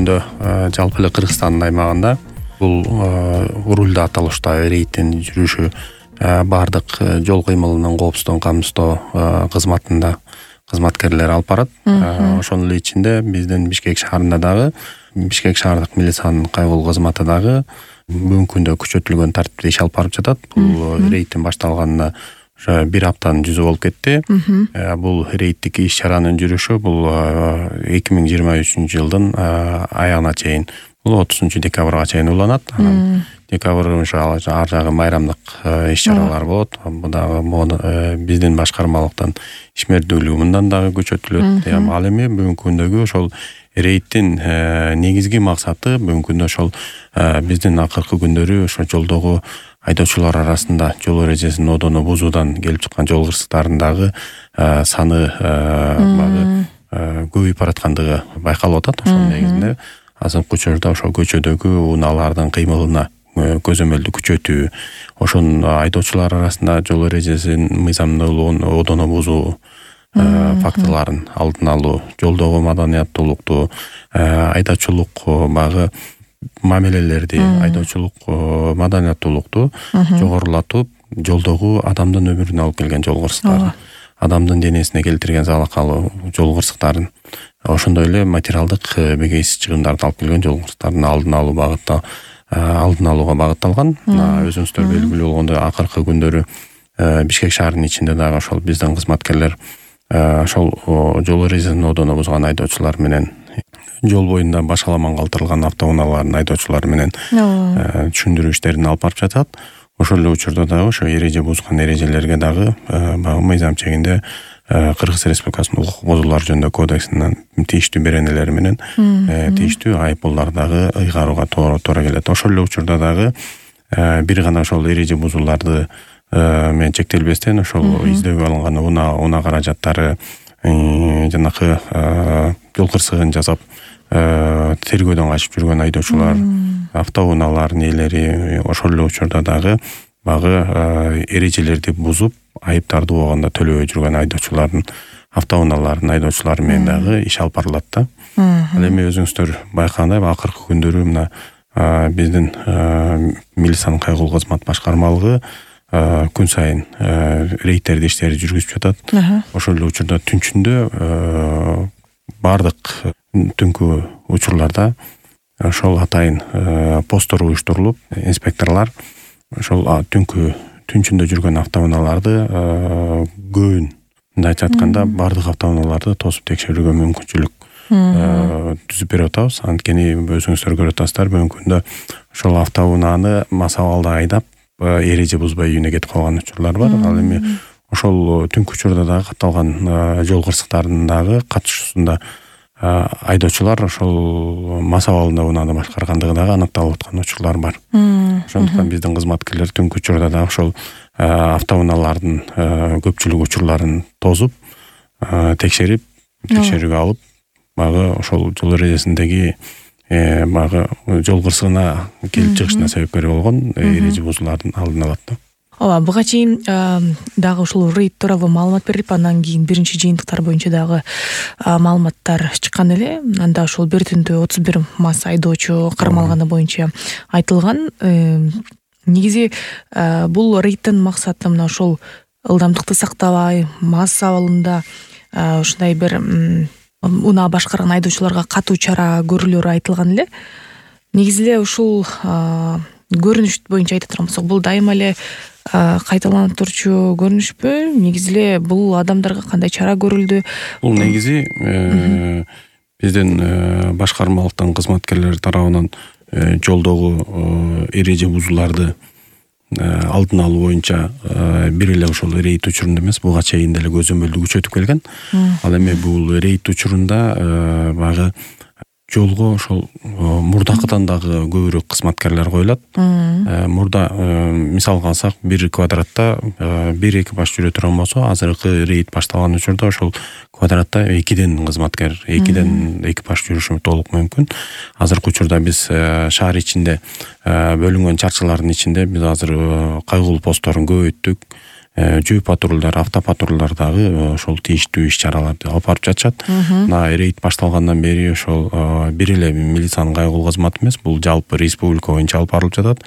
күндө жалпы эле Кыргызстандын аймагында бул урулда аталышта рейдтин жүрүшү баардык жол кыймылынын коопсуздугун камсыздоо кызматында кызматкерлер алып барат. Ошонун эле ичинде биздин Бишкек шаарында дагы Бишкек шаардык милициянын кайгылуу кызматы дагы бүгүнкү күндө күчөтүлгөн тартипте иш алып барып жатат. Бул рейдтин башталганына уже 1 аптанын жүзү болуп кетти. Бул рейдтик иш чаранын жүрүшү бул 2023 жылдын аягына чейин, бул 30 декабрга чейин уланат. Декабрь ар жагы майрамдык иш чаралар болот. Бул дагы биздин башкармалыктан ишмердүүлүгү мындан дагы күчөтүлөт. Ал эми бүгүнкү күндөгү ошол рейдтин негизги максаты бүгүнкү күндө ошол биздин акыркы күндөрү ошо жолдогу айдоочулар арасында жол эрежесин одоно бузуудан келип чыккан жол кырсыктарын дагы саны көбөйүп бараткандыгы байкалып атат. Ошонун негизинде азыркы учурда ошол көчөдөгү унаалардын кыймылына көзөмөлдү күчөтүү, ошон айдоочулар арасында жол эрежесин мыйзамдуулугун одоно бузуу фактыларын алдын алуу, жолдогу маданияттуулукту, айдоочулук багы мамилелерди, айдоочулук маданияттуулукту жогорулатып, жолдогу адамдын өмүрүнө алып келген жол кырсыктарын, адамдын денесине келтирген залакалуу жол кырсыктарын, ошондой эле материалдык бегейсиз чыгымдарды алып келген жол кырсыктарын алдын алууга багытталган. Өзүңүздөр белгилүү болгондой акыркы күндөрү Бишкек шаарынын ичинде дагы ошол биздин кызматкерлер ошол жол эрежесин одоно бузган айдоочулар менен, жол боюнда башаламан калтырылган автоунаалардын айдоочулары менен түшүндүрүү иштерин алып барып жатат. Ошол эле учурда дагы ошо эреже бузган эрежелерге дагы мыйзам чегинде Кыргыз Республикасынын укук бузуулар жөнүндө кодексинин тийиштүү беренелери менен тийиштүү айыппулдар дагы ыйгарууга туура келет. Ошол эле учурда дагы бир гана ошол эреже бузууларды менен чектелбестен ошол издөөгө алынган унаа каражаттары, жанакы жол кырсыгын жасап тергөөдөн качып жүргөн айдоочулар, автоунаалардын ээлери ошол эле учурда дагы багы эрежелерди бузуп айыптарды убагында төлөбөй жүргөн айдоочулардын, автоунаалардын айдоочулары менен дагы иш алып барылат да. Ал эми өзүңүздөр байкагандай акыркы күндөрү мына биздин милициянын кайгылуу кызмат башкармалыгы күн сайын рейдтерди иштери жүргүзүп жатат. Ошол эле учурда түнчүндө бардык түнкү учурларда ошол атайын посттор уюштурулуп, инспекторлор ошол түнчүндө жүргөн автоунааларды көбүн, мындайча айтканда бардык автоунааларды тосуп текшерүүгө мүмкүнчүлүк түзүп берип атабыз. Анткени өзүңүздөр көрүп атасыздар, бүгүнкү күндө ошол автоунааны масабалда айдап эреже бузбай үйүнө кетип калган учурлар бар. Ал эми ошол түнкү учурда дагы катталган жол кырсыктарынын дагы катышуусунда айдоочулар ошол масабалында унааны башкаргандыгы дагы аныкталып аткан учурлар бар. Ошондуктан биздин кызматкерлер түнкү учурда дагы ошол автоунаалардын көпчүлүк учурларын тосуп, текшерип, текшерүүгө алып, багы ошол жол эрежесиндеги багы жол кырсыгына келип чыгышына себепкер болгон эреже бузуулардын алдын алат да. Ооба, буга чейин дагы ушул рейд тууралуу маалымат берилип, андан кийин биринчи жыйынтыктар боюнча дагы маалыматтар чыккан эле. Анда ошол бир түндө 31 мас айдоочу кармалганы боюнча айтылган. Негизи бул рейдтин максаты мына ошол ылдамдыкты сактабай, мас абалында ушундай бир унаа башкарган айдоочуларга катуу чара көрүлөрү айтылган эле. Негизи эле ушул көрүнүш боюнча айта турган болсок, бул дайыма эле кайталанып турчу көрүнүшпү? Негизи эле бул адамдарга кандай чара көрүлдү? Бул негизи биздин башкармалыктын кызматкерлери тарабынан жолдогу эреже бузууларды алдын алуу боюнча бир эле ошол рейд учурунда эмес, буга чейин деле көзөмөлдү күчөтүп келген. Ал эми бул рейд учурунда багы жолго ошол мурдакыдан дагы көбүрөөк кызматкерлер коюлат. Мурда мисалга алсак, бир квадратта бир экипаж жүрө турган болсо, азыркы рейд башталган учурда ошол квадратта 2ден кызматкер, 2ден экипаж жүрүшү толук мүмкүн. Азыркы учурда биз шаар ичинде бөлүнгөн чарчылардын ичинде биз азыр кайгылуу постторун көбөйттүк. жөө патрулдар, автопатрулдар дагы ошол тийиштүү иш-чараларды алып барып жатышат. Мына рейд башталгандан бери ошол бир эле милициянын кайгылуу кызматы эмес, бул жалпы республика боюнча алып барылып жатат.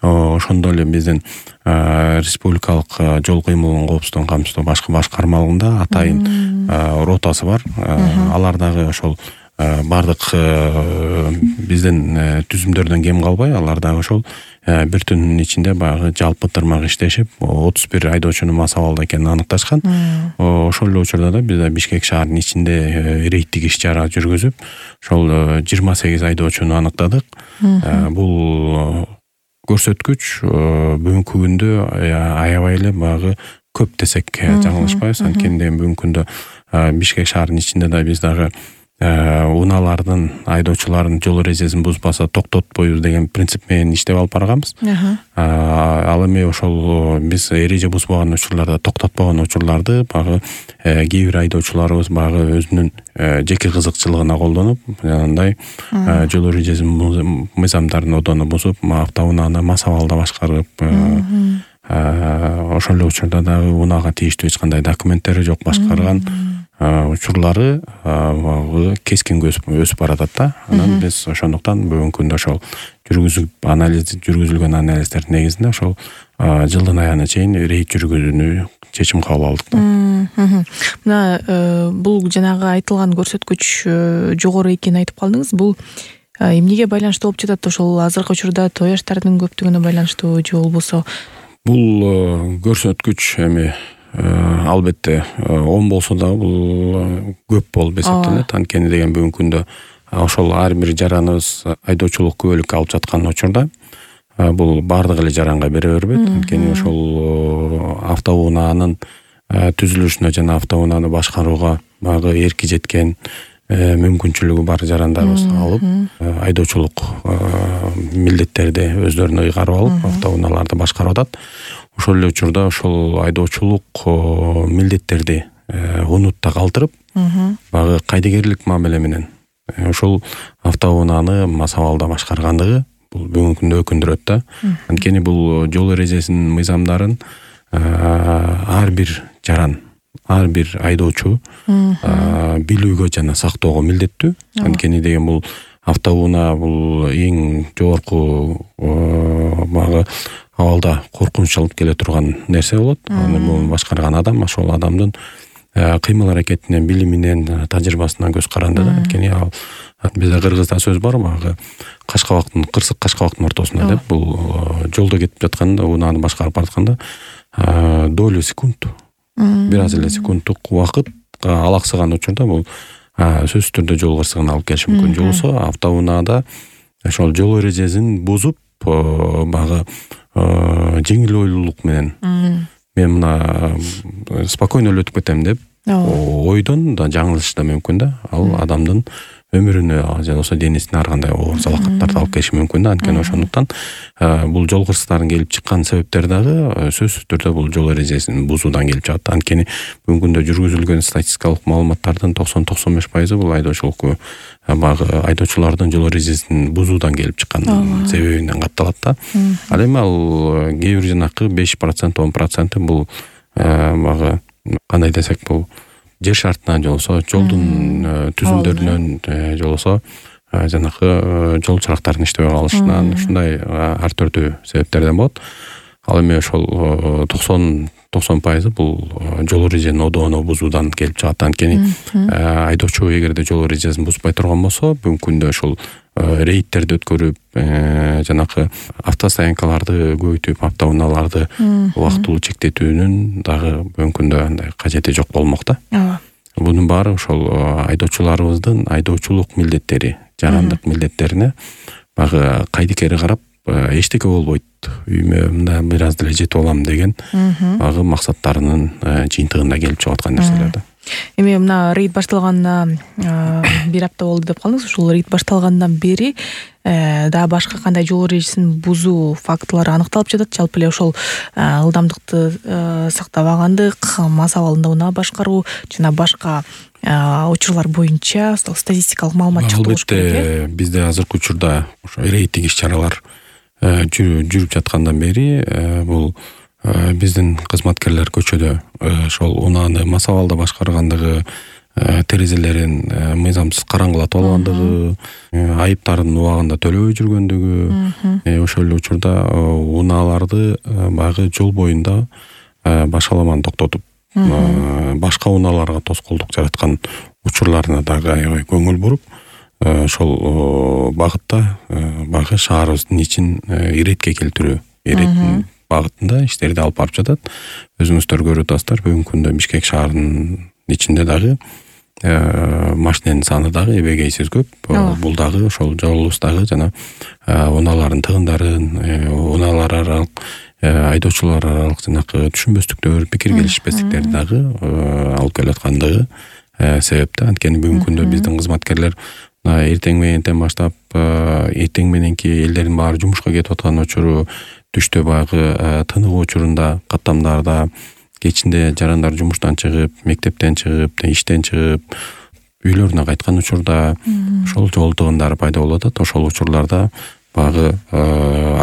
Ошондой эле биздин республикалык жол кыймылын коопсуздугун камсыздоо башкармалыгында атайын ротасы бар. Алар дагы ошол бардык биздин түзүмдөрдөн кем калбай, алар дагы ошол бир түндүн ичинде баягы жалпы тырмак иштешип 31 айдоочунун мас абалда экенин аныкташкан. Ошол эле учурда да биз Бишкек шаарынын ичинде рейдтик иш-чара жүргүзүп, ошол 28 айдоочуну аныктадык. Бул көрсөткүч бүгүнкү күндө аябай эле баягы көп десек жаңылышпайбыз. Анткени бүгүнкү күндө Бишкек шаарынын ичинде да биз дагы унаалардын, айдоочулардын жол эрежесин бузбаса токтотпойбуз деген принцип менен иштеп алып барганбыз. Ал эми ошол биз эреже бузбаган учурларда, токтотпогон учурларды баягы кээ бир айдоочуларыбыз баягы өзүнүн жеке кызыкчылыгына колдонуп, жанагындай жол эрежесин мыйзамдарын одону бузуп, автоунааны мас абалда башкарып, ошол эле учурда дагы унаага тийиштүү эч кандай документтери жок башкарган учурлары кескин өсүп баратат да. Анан биз ошондуктан бүгүнкү күндө ошол жүргүзүлгөн анализдердин негизинде ошол жылдын аягына чейин рейд жүргүзүүнү чечим кабыл алдык да. Мына бул жанагы айтылган көрсөткүч жогору экенин айтып калдыңыз. Бул эмнеге байланыштуу болуп жатат? Ошол азыркы учурда той аштардын көптүгүнө байланыштуу же болбосо? Бул көрсөткүч эми албетте 10 болсо да бул көп болуп эсептелет. Анткени деген бүгүнкү күндө ошол ар бир жараныбыз айдоочулук күбөлүккө алып жаткан учурда бул бардык эле жаранга бере бербейт. Анткени ошол автоунаанын түзүлүшүнө жана автоунааны башкарууга багы эрки жеткен мүмкүнчүлүгү бар жарандарыбыз алып айдоочулук милдеттерди өздөрүнө ыйгарып алып автоунааларды башкарып атат. Ошол эле учурда ошол айдоочулук милдеттерди унутта калтырып, багы кайдыгерлик мамиле менен ошол автоунааны мас абалда башкаргандыгы бул бүгүнкү күндө өкүндүрөт да. Анткени бул жол эрежесинин мыйзамдарын ар бир жаран, ар бир айдоочу билүүгө жана сактоого милдеттүү. Анткени деген бул автоунаа бул эң жогорку багы абалда коркунуч алып келе турган нерсе болот. Аны бул башкарган адам ошол адамдын кыймыл аракетинен, билиминен, тажрыйбасынан көз каранды да. Анткени бизде кыргызда сөз бар, багы кашкабактын, кырсык кашкабактын ортосунда деп, бул жолдо кетип жатканда, унааны башкарып баратканда долю секунд, бир аз эле секундтук убакыт алаксыган учурда бул сөзсүз түрдө жол кырсыгына алып келиши мүмкүн. Жолсо автоунаада ошол жол эрежесин бузуп багы жеңил ойлуулук менен мен мына спокойно эле өтүп кетем деп ойдон да жаңылышы да мүмкүн да. Ал адамдын өмүрүнө же болбосо денесине ар кандай оор залакаттарды алып келиши мүмкүн да. Анткени ошондуктан бул жол кырсыктарын келип чыккан себептер дагы сөзсүз түрдө бул жол эрежесин бузуудан келип чыгат. Анткени бүгүнкү күндө жүргүзүлгөн статистикалык маалыматтардын 90-95% бул айдоочулукку багы айдоочулардын жол эрежесин бузуудан келип чыккан себебинен катталат да. Ал эми ал кээ бир жанакы 5%, 10% бул багы кандай десек бул жер шартынан же болбосо жолдун түзүмдөрүнөн же болбосо жанакы жол чырактарынын иштебей калышынан ушундай ар түрдүү себептерден болот. Ал эми ошол 90% бул жол эрежесинин одоону бузуудан келип чыгат. Анткени айдоочу эгерде жол эрежесин бузбай турган болсо, бүгүнкү күндө ошол рейдтерди өткөрүп, жанакы автостоянкаларды көбөйтүп, автоунааларды убактылуу чектетүүнүн дагы бүгүнкү күндө андай кажети жок болмок да. Бунун баары ошол айдоочуларыбыздын айдоочулук милдеттери, жарандык милдеттерине багы кайдыкери карап эчтеке болбойт, үйүмө мында бир аз деле жетип алам деген багы максаттарынын жыйынтыгында келип чыгып аткан нерселер да. Эми мына рейд башталганына бир апта болду деп калдыңыз. Ушул рейд башталгандан бери дагы башка кандай жол эрежесин бузуу фактылары аныкталып жатат? Жалпы эле ошол ылдамдыкты сактабагандык, мас абалында унаа башкаруу жана башка учурлар боюнча статистикалык маалымат чыкты болуш керек. Албетте бизде азыркы учурда ошо рейдтик иш-чаралар жүрүп жаткандан бери бул биздин кызматкерлер көчөдө ошол унааны масабалда башкаргандыгы, терезелерин мыйзамсыз караңгылатып алгандыгы, айыптарын убагында төлөбөй жүргөндүгү, ошол эле учурда унааларды баягы жол боюнда башаламаны токтотуп башка унааларга тоскоолдук жараткан учурларына дагы аябай көңүл буруп, ошол багытта баягы шаарыбыздын ичин иретке келтирүү, иреттин багытында иштерди алып барып жатат. Өзүңүздөр көрүп атасыздар, бүгүнкү күндө Бишкек шаарынын ичинде дагы машиненин саны дагы эбегейсиз көп. Бул дагы ошол жолубуздагы жана унаалардын тыгындарын, унаалар аралык, айдоочулар аралык жанакы түшүнбөстүктөр, пикир келишпестиктерди дагы алып келип аткандыгы себепте. Анткени бүгүнкү күндө биздин кызматкерлер эртең мененден баштап эртең мененки элдердин баары жумушка кетип аткан учуру, түштө баягы тыныгуу учурунда, каттамдарда, кечинде жарандар жумуштан чыгып, мектептен чыгып, иштен чыгып, үйлөрүнө кайткан учурда ошол жол тыгындары пайда болуп атат. Ошол учурларда баягы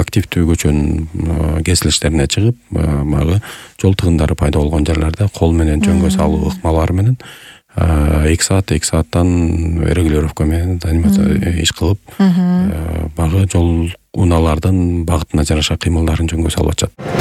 активдүү көчөнүн кесилиштерине чыгып, баягы жол тыгындары пайда болгон жерлерде кол менен жөнгө салуу ыкмалары менен 2 сааттан регулировка менен иш кылып, баягы жол унаалардын багытына жараша кыймылдарын жөнгө салып атышат.